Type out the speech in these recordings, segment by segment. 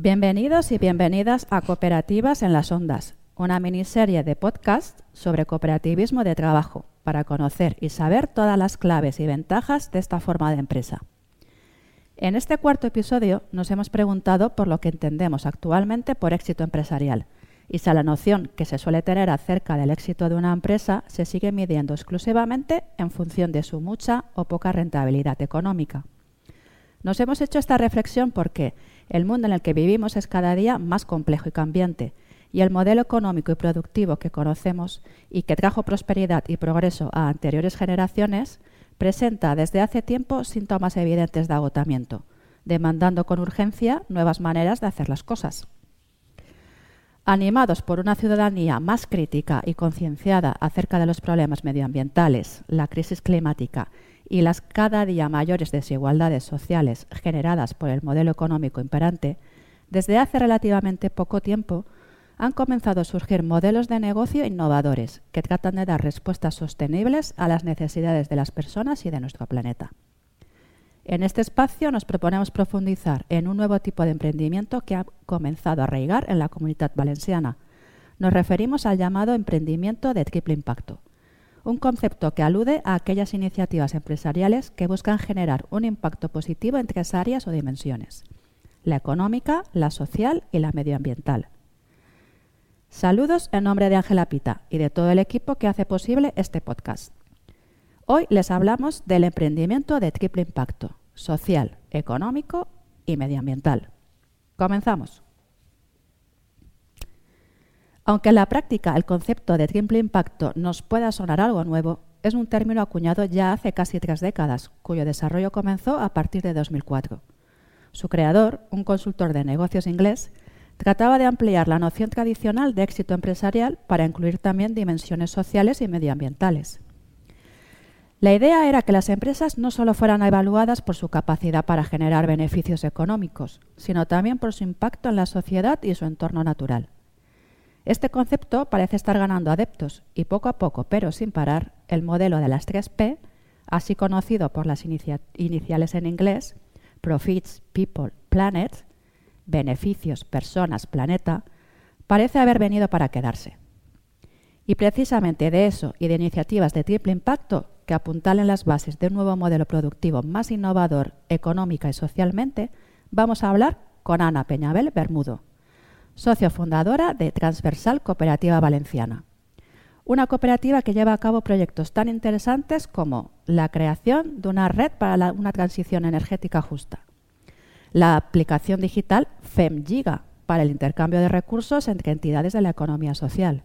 Bienvenidos y bienvenidas a Cooperativas en las Ondas, una miniserie de podcast sobre cooperativismo de trabajo para conocer y saber todas las claves y ventajas de esta forma de empresa. En este cuarto episodio nos hemos preguntado por lo que entendemos actualmente por éxito empresarial y si la noción que se suele tener acerca del éxito de una empresa se sigue midiendo exclusivamente en función de su mucha o poca rentabilidad económica. Nos hemos hecho esta reflexión porque el mundo en el que vivimos es cada día más complejo y cambiante, y el modelo económico y productivo que conocemos y que trajo prosperidad y progreso a anteriores generaciones presenta desde hace tiempo síntomas evidentes de agotamiento, demandando con urgencia nuevas maneras de hacer las cosas. Animados por una ciudadanía más crítica y concienciada acerca de los problemas medioambientales, la crisis climática y las cada día mayores desigualdades sociales generadas por el modelo económico imperante, desde hace relativamente poco tiempo han comenzado a surgir modelos de negocio innovadores que tratan de dar respuestas sostenibles a las necesidades de las personas y de nuestro planeta. En este espacio nos proponemos profundizar en un nuevo tipo de emprendimiento que ha comenzado a arraigar en la Comunitat Valenciana. Nos referimos al llamado emprendimiento de triple impacto, un concepto que alude a aquellas iniciativas empresariales que buscan generar un impacto positivo en tres áreas o dimensiones: la económica, la social y la medioambiental. Saludos en nombre de Ángela Pita y de todo el equipo que hace posible este podcast. Hoy les hablamos del emprendimiento de triple impacto: social, económico y medioambiental. Comenzamos. Aunque en la práctica el concepto de triple impacto nos pueda sonar algo nuevo, es un término acuñado ya hace casi 3 décadas, cuyo desarrollo comenzó a partir de 2004. Su creador, un consultor de negocios inglés, trataba de ampliar la noción tradicional de éxito empresarial para incluir también dimensiones sociales y medioambientales. La idea era que las empresas no solo fueran evaluadas por su capacidad para generar beneficios económicos, sino también por su impacto en la sociedad y su entorno natural. Este concepto parece estar ganando adeptos y poco a poco, pero sin parar, el modelo de las 3P, así conocido por las iniciales en inglés, Profits, People, Planet, beneficios, personas, planeta, parece haber venido para quedarse. Y precisamente de eso y de iniciativas de triple impacto que apuntalen las bases de un nuevo modelo productivo más innovador económica y socialmente, vamos a hablar con Ana Peñabel Bermudo, socio fundadora de Transversal Cooperativa Valenciana, una cooperativa que lleva a cabo proyectos tan interesantes como la creación de una red para una transición energética justa, la aplicación digital FemGiga para el intercambio de recursos entre entidades de la economía social,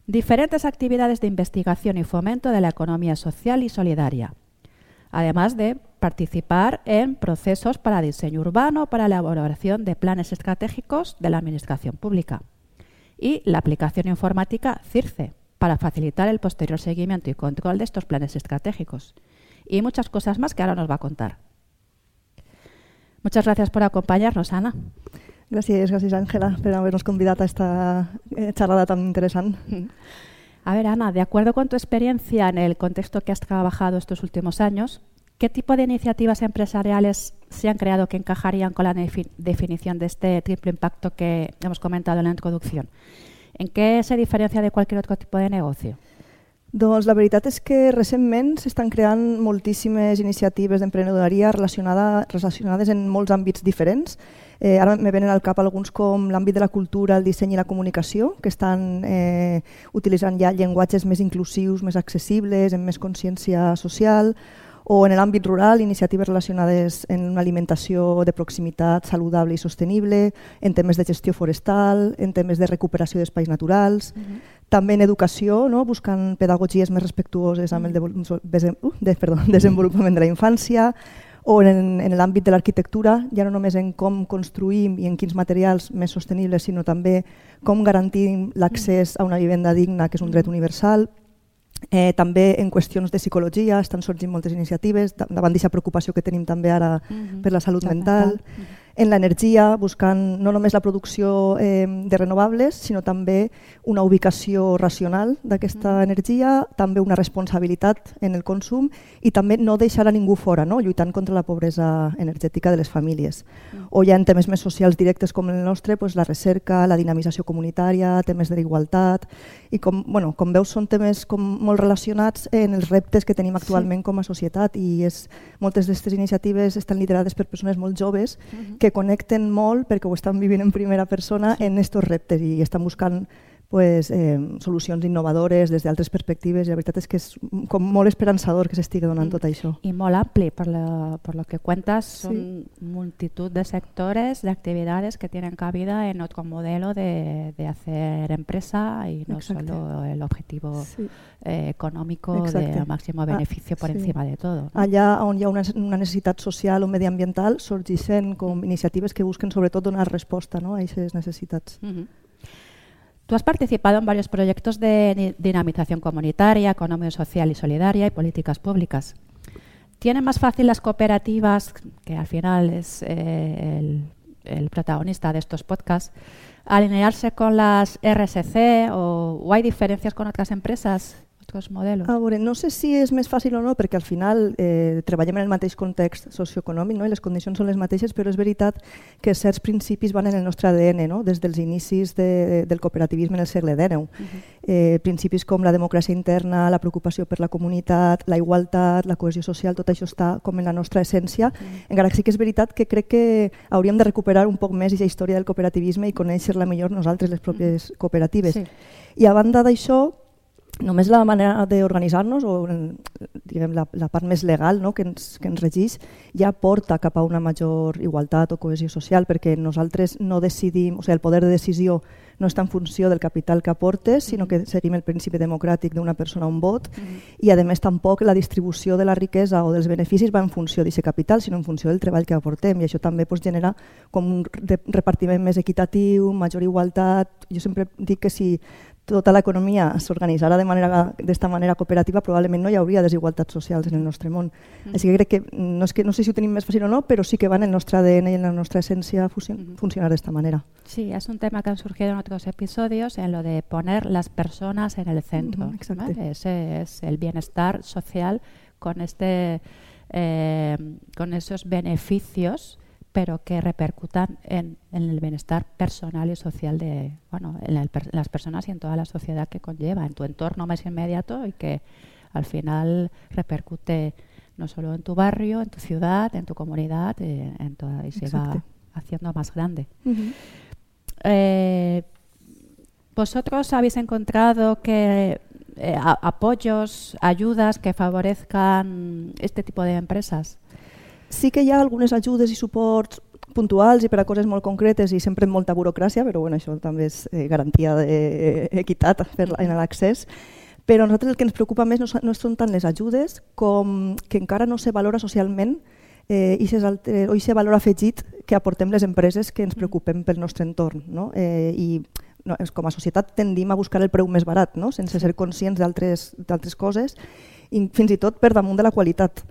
diferentes actividades de investigación y fomento de la economía social y solidaria, además de participar en procesos para diseño urbano, para la elaboración de planes estratégicos de la administración pública, y la aplicación informática CIRCE para facilitar el posterior seguimiento y control de estos planes estratégicos, y muchas cosas más que ahora nos va a contar. Muchas gracias por acompanyar-nos, Ana. Gràcies, Ángela, por habernos convidado a esta charlada tan interesante. A ver, Ana, de acuerdo con tu experiencia en el contexto que has trabajado estos últimos años, ¿qué tipo de iniciativas empresariales se han creado que encajarían con la definición de este triple impacto que hemos comentado en la introducción? ¿En qué se diferencia de cualquier otro tipo de negocio? Doncs la veritat és que recentment s'estan creant moltíssimes iniciatives d'emprenedoria relacionades en molts àmbits diferents. Ara me venen al cap alguns com l'àmbit de la cultura, el disseny i la comunicació, que estan utilitzant ja llenguatges més inclusius, més accessibles, amb més consciència social, o en l'àmbit rural, iniciatives relacionades en una alimentació de proximitat saludable i sostenible, en temes de gestió forestal, en temes de recuperació d'espais naturals, també en educació, no? Buscant pedagogies més respectuoses amb el desenvolupament de la infància, o en l'àmbit de l'arquitectura, ja no només en com construïm i en quins materials més sostenibles, sinó també com garantim l'accés a una vivenda digna, que és un dret universal. També en qüestions de psicologia estan sorgint moltes iniciatives davant d'aquesta preocupació que tenim també ara per la salut mental. en l'energia, buscant no només la producció de renovables, sinó també una ubicació racional d'aquesta energia, també una responsabilitat en el consum i també no deixar a ningú fora, no? Lluitant contra la pobresa energètica de les famílies. O ja en temes més socials directes com el nostre, doncs la recerca, la dinamització comunitària, temes de la igualtat, i com veus són temes molt relacionats en els reptes que tenim actualment com a societat, i moltes d'aquestes iniciatives estan liderades per persones molt joves que connecten molt perquè ho estan vivint en primera persona en aquests reptes i estan buscant solucions innovadores des d'altres perspectives, i la veritat és que és com molt esperançador que s'estigui donant tot això. Y muy amplio, por lo que cuentas, son multitud de sectores, de actividades que tienen cabida en otro modelo de hacer empresa y no solo el objetivo económico de máximo beneficio por encima de todo. ¿No? Allà on hi ha una necessitat social o mediambiental sorgeixen com iniciatives que busquen sobretot donar resposta, no, a aquestes necessitats. Tú has participado en varios proyectos de dinamización comunitaria, economía social y solidaria y políticas públicas. ¿Tienen más fácil las cooperativas, que al final es el protagonista de estos podcasts, alinearse con las RSC o hay diferencias con otras empresas, otros modelos? No sé si és més fàcil o no, perquè al final treballem en el mateix context socioeconòmic, no? I les condicions són les mateixes, però és veritat que certs principis van en el nostre ADN, no? Des dels inicis del cooperativisme en el segle XIX. Principis com la democràcia interna, la preocupació per la comunitat, la igualtat, la cohesió social, tot això està com en la nostra essència, encara que sí que és veritat que crec que hauríem de recuperar un poc més aquesta història del cooperativisme i conèixer-la millor nosaltres, les pròpies cooperatives. I a banda d'això, només la manera d'organitzar-nos o diguem, la part més legal, no, que ens regeix ja porta cap a una major igualtat o cohesió social, perquè nosaltres no decidim, o sigui, el poder de decisió no està en funció del capital que aportes, sinó que seguim el principi democràtic d'una persona un vot, i a més tampoc la distribució de la riquesa o dels beneficis va en funció d'aquest capital, sinó en funció del treball que aportem, i això també genera com un repartiment més equitatiu, major igualtat. Jo sempre dic que si tota l'economia s'organitzara d'esta manera cooperativa, probablement no hi hauria desigualtats socials en el nostre món. Així que crec que no sé si ho tenim més fàcil o no, però sí que va en el nostre ADN i en la nostra essència funcionar d'esta manera. Sí, es un tema que han surgido en otros episodios, en lo de poner las personas en el centro. ¿Vale? Ese es el bienestar social con esos beneficios, pero que repercutan en el bienestar personal y social de las personas y en toda la sociedad que conlleva, en tu entorno más inmediato, y que al final repercute no solo en tu barrio, en tu ciudad, en tu comunidad, y se va haciendo más grande. ¿Vosotros habéis encontrado que apoyos, ayudas que favorezcan este tipo de empresas? Sí que hi ha algunes ajudes i suports puntuals i per a coses molt concretes i sempre amb molta burocràcia, però això també és garantia d'equitat en l'accés. Però a nosaltres el que ens preocupa més no són tant les ajudes com que encara no se valora socialment o aquest valor afegit que aportem les empreses que ens preocupem pel nostre entorn. I com a societat tendim a buscar el preu més barat, sense ser conscients d'altres coses, i fins i tot per damunt de la qualitat.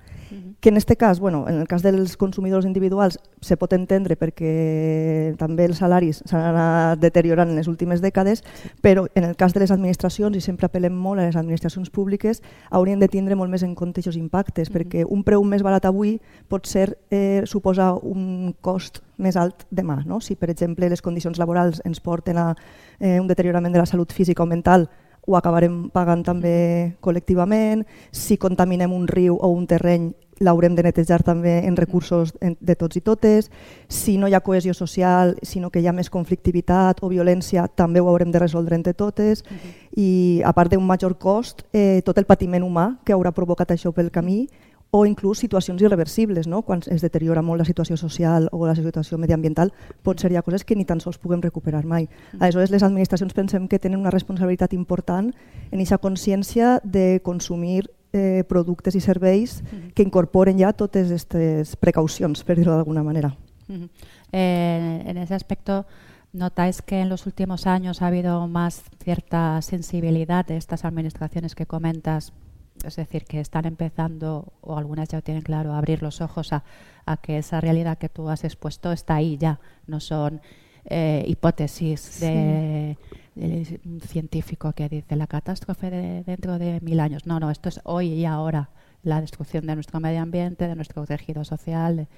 Que en aquest cas, en el cas dels consumidors individuals, se pot entendre perquè també els salaris s'han anat deteriorant en les últimes dècades, però en el cas de les administracions, i sempre apel·lem molt a les administracions públiques, haurien de tindre molt més en compte aquests impactes, perquè un preu més barat avui pot suposar un cost més alt demà. Si, per exemple, les condicions laborals ens porten a un deteriorament de la salut física o mental, ho acabarem pagant també col·lectivament. Si contaminem un riu o un terreny, l'haurem de netejar també en recursos de tots i totes. Si no hi ha cohesió social, sinó que hi ha més conflictivitat o violència, també ho haurem de resoldre entre totes. I a part d'un major cost, tot el patiment humà que haurà provocat això pel camí, o inclús situacions irreversibles, quan es deteriora molt la situació social o la situació mediambiental, pot ser ja coses que ni tan sols puguem recuperar mai. Aleshores, les administracions pensem que tenen una responsabilitat important en aquesta consciència de consumir productes i serveis que incorporen ja totes aquestes precaucions, per dir-ho d'alguna manera. En ese aspecto, ¿notáis que en los últimos años ha habido más cierta sensibilidad de estas administraciones que comentas Es decir, que están empezando, o algunas ya tienen claro, a abrir los ojos a que esa realidad que tú has expuesto está ahí ya. No son hipótesis de un científico que dice la catástrofe dentro de 1000 años. No, esto es hoy y ahora. La destrucción de nuestro medio ambiente, de nuestro tejido social.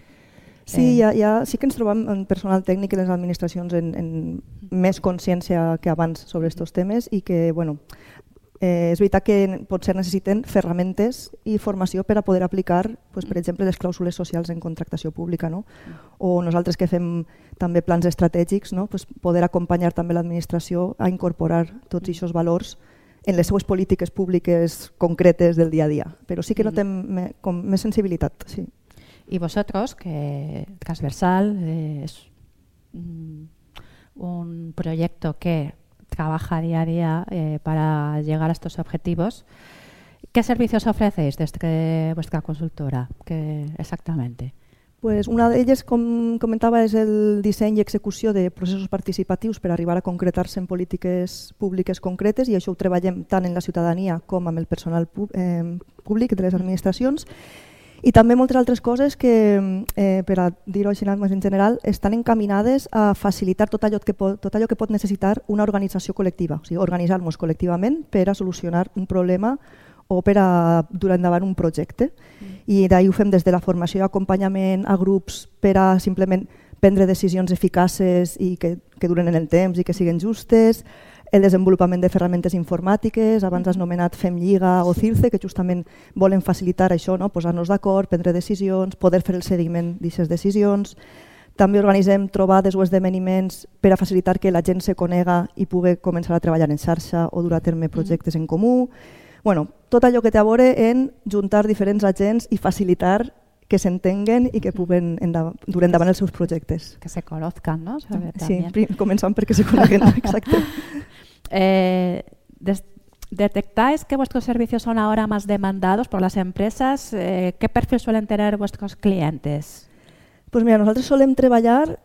Sí, sí que ens trobem en personal tècnic i les administracions en més consciència que abans sobre aquests temes i que, és veritat que potser necessiten ferramentes i formació per a poder aplicar, per exemple, les clàusules socials en contractació pública, no? O nosaltres que fem també plans estratègics, no? Poder acompanyar també l'administració a incorporar tots aquests valors en les seues polítiques públiques concretes del dia a dia. Però sí que notem com més sensibilitat, sí. Y vosotros, que Transversal es un proyecto que trabaja día a día para llegar a estos objetivos, ¿qué servicios ofrecéis desde vuestra consultora? ¿Qué exactamente? Pues una d'elles, com comentava, és el disseny i execució de processos participatius per arribar a concretar-se en polítiques públiques concretes i això ho treballem tant en la ciutadania com amb el personal públic de les administracions. I també moltes altres coses que, per a dir-ho així més en general, estan encaminades a facilitar tot allò que pot necessitar una organització col·lectiva, o sigui, organitzar-nos col·lectivament per a solucionar un problema o per a dur endavant un projecte. I d'ahir ho fem des de la formació i acompanyament a grups per a simplement prendre decisions eficaces i que duren en el temps i que siguin justes, el desenvolupament de ferramentes informàtiques, abans has nomenat Fem Lliga o CIRCE, que justament volen facilitar això, no? Posar-nos d'acord, prendre decisions, poder fer el seguiment d'aquestes decisions. També organitzem trobades o esdeveniments per a facilitar que la gent se conega i pugui començar a treballar en xarxa o dur a terme projectes en comú. Tot allò que té a veure en juntar diferents agents i facilitar que s'entenguen i que puguen dur endavant els seus projectes. Que se conozcan, ¿no? Sí, començant perquè se coneguen, exacte. ¿Detectáis que vuestros servicios son ahora más demandados por las empresas? ¿Qué perfil suelen tener vuestros clientes? Pues mira, nosaltres solem treballar,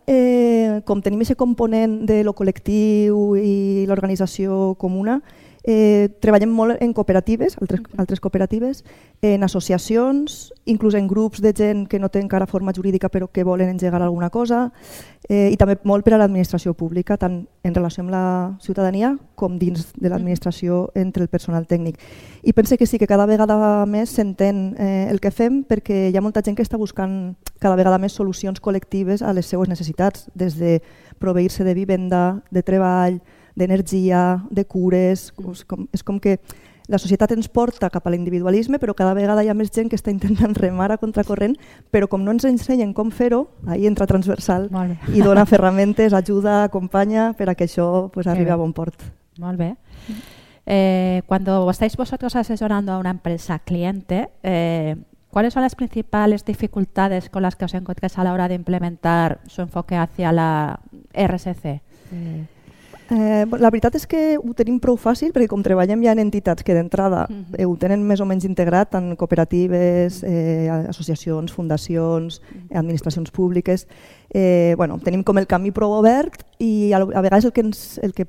com tenim aquest component de lo col·lectiu i l'organització comuna, treballem molt en cooperatives, altres cooperatives, en associacions, inclús en grups de gent que no té encara forma jurídica però que volen engegar alguna cosa, i també molt per a l'administració pública, tant en relació amb la ciutadania com dins de l'administració entre el personal tècnic. I pense que sí, que cada vegada més s'entén el que fem perquè hi ha molta gent que està buscant cada vegada més solucions col·lectives a les seues necessitats, des de proveir-se de vivenda, de treball, d'energia, de cures. És com que la societat ens porta cap a l'individualisme, però cada vegada hi ha més gent que està intentant remar a contracorrent, però com no ens ensenyen com fer-ho, ahí entra Transversal i dona ferramentes, ajuda, acompanya per a que això arribi a bon port. Molt bé. Cuando estáis vosotros asesorando a una empresa cliente, ¿cuáles son las principales dificultades con las que os encontráis a la hora de implementar su enfoque hacia la RSC? La veritat és que ho tenim prou fàcil perquè com treballem ja en entitats que d'entrada ho tenen més o menys integrat, tant cooperatives, associacions, fundacions, administracions públiques, tenim com el camí prou obert i a vegades el que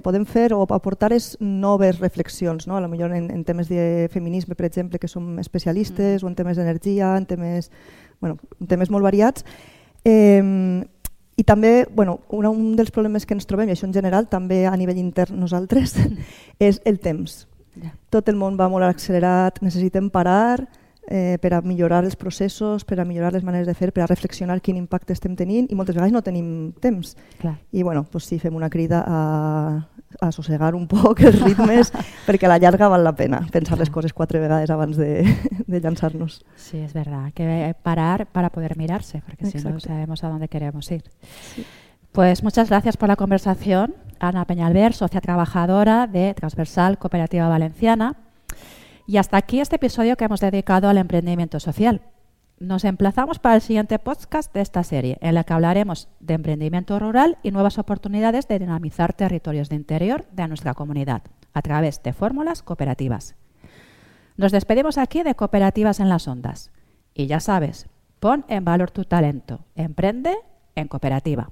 podem fer o aportar és noves reflexions, potser en temes de feminisme, per exemple, que som especialistes, o en temes d'energia, en temes molt variats. I també, un dels problemes que ens trobem, i això en general, també a nivell intern nosaltres, és el temps. Tot el món va molt accelerat, necessitem parar per a millorar els processos, per a millorar les maneres de fer, per a reflexionar quin impacte estem tenint i moltes vegades no tenim temps. I sí, fem una crida a assossegar un poc els ritmes perquè a la llarga val la pena pensar les coses 4 vegades abans de llançar-nos. Sí, es verdad, hay que parar para poder mirarse, porque si no sabemos a dónde queremos ir. Sí. Pues muchas gracias por la conversación, Ana Peñalver, socia trabajadora de Transversal Cooperativa Valenciana. Y hasta aquí este episodio que hemos dedicado al emprendimiento social. Nos emplazamos para el siguiente podcast de esta serie, en la que hablaremos de emprendimiento rural y nuevas oportunidades de dinamizar territorios de interior de nuestra comunidad a través de fórmulas cooperativas. Nos despedimos aquí de Cooperativas en las Ondas. Y ya sabes, pon en valor tu talento, emprende en cooperativa.